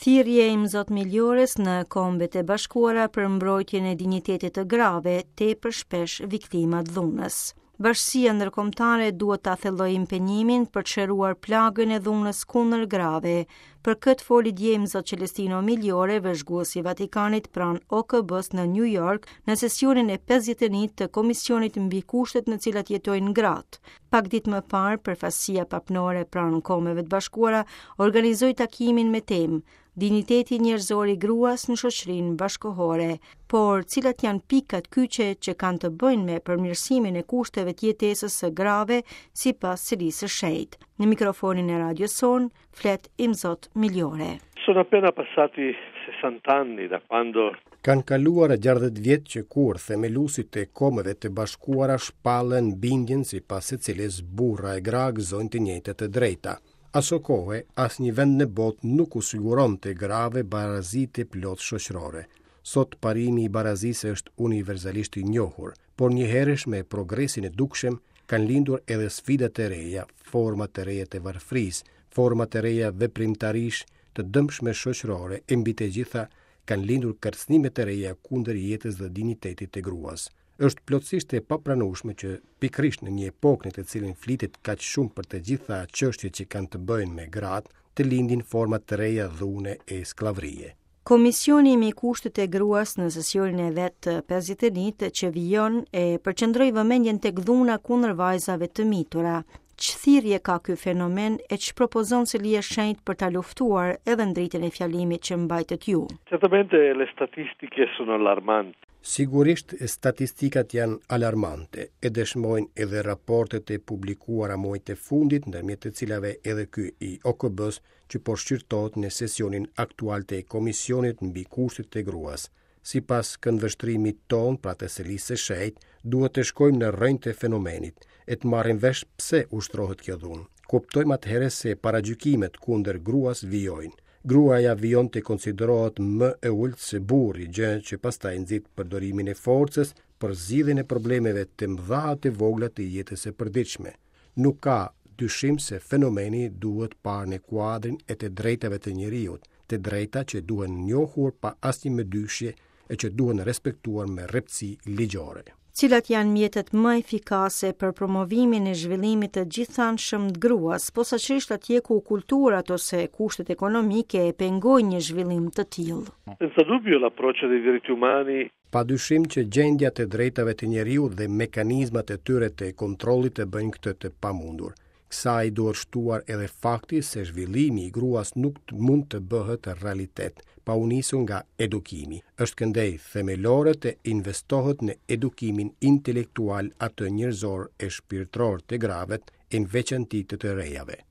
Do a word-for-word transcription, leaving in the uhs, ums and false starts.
Thirrje e Imzot Migliores në Kombet e Bashkuara për mbrojtjen e dinjitetit të grave, tepër shpesh viktima të dhunës. Bashkësia ndërkombëtare duhet ta thellojë impenjimin për të shëruar plagën e dhunës kundër grave. Për këtë foli dje Imzot Celestino Migliore, vëzhgues i Vatikanit pranë O K B-s në New York, në sesionin e pesëdhjetë e një të Komisionit mbi kushtet në cilat jetojnë gratë. Pak ditë më parë, përfaqësia papnore pranë Kombeve të Bashkuara organizoi takimin me temë "Dinjiteti njerëzor i gruas në shoqërinë bashkohore", por cilat janë pikat kyçe që kanë të bëjnë me përmirësimin e kushteve të jetesës së grave sipas Selisë së Shenjtë? Në mikrofonin e radios sonë flet Imzot Migliore. Sono appena passati sessanta anni da quando Kanë kaluar gjashtëdhjetë vjet që kur themeluesit e Kombeve të Bashkuara shpallën bindjen sipas së cilës burra e gra gëzojnë të njëjtat të drejta. Aso kohe, asnjë vend në botë nuk u siguronte grave barazi të plotë shoqërore. Sot parimi i barazisë është universalisht i njohur, por njëherësh me progresin e dukshëm kanë lindur edhe sfida të reja, forma të reja të varfërisë, forma të reja veprimtarish të dëmshme shoqërore e mbi të gjitha kanë lindur kërcënime të reja kundër jetës dhe dinjitetit të gruas. Është plotësisht e papranueshme që pikërisht në një epokë në të cilën flitet kaq shumë për të gjitha çështjet që kanë të bëjnë me gratë, të lindin forma të reja dhune e skllavërie. Komisioni mbi kushtet e gruas në sesionin e vet të pesëdhjetë e një që vijon e përqendroi vëmendjen tek dhuna kundër vajzave të mitura. Ç'thirrje ka ky fenomen e ç'propozon Selia e Shenjtë për ta luftuar edhe në dritën e fjalimit që mbajtët ju? Certamente le statistiche sono allarmanti. Sigurisht statistikat janë alarmante, e dëshmojnë edhe raportet e publikuara muajt e fundit, ndërmjet të cilave edhe ky i O K B-s që po shqyrtohet në sesionin aktual të Komisionit mbi kushtet e gruas. Sipas këndvështrimit ton, pra të Selisë së Shenjtë, duhet të shkojmë në rrënjë të fenomenit e të marrim vesh pse ushtrohet kjo dhunë. Kuptojmë atëherë se paragjykimet kundër gruas vijojnë. Gruaja vijon të konsiderohet më e ulët se burri, gjë që pastaj nxit përdorimin e forcës për zgjidhjen e problemeve të mëdha të vogla të jetës së përditshme. Nuk ka dyshim se fenomeni duhet parë në kuadrin e të drejtave të njeriut, të drejta që duhen njohur pa asnjë mëdyshje e që duhen respektuar me rreptësi ligjore. Cilat janë mjetet më efikase për promovimin e zhvillimit të gjithanshëm të gruas, posaçërisht atje ku kulturat ose kushtet ekonomike e pengojnë një zhvillim të tillë? Senza dubbio l'approccio dei diritti umani Pa dyshim që gjendja të drejtave të njeriut dhe mekanizmat e tyre të kontrollit të bëjnë këtë të pamundur. Kësaj duhet shtuar edhe fakti se zhvillimi i gruas nuk të mund të bëhet realitet pa u nisur nga edukimi. Është këndej themelore të investohet në edukimin intelektual, atë njerëzor e shpirtëror të grave, e në veçanti të të rejave.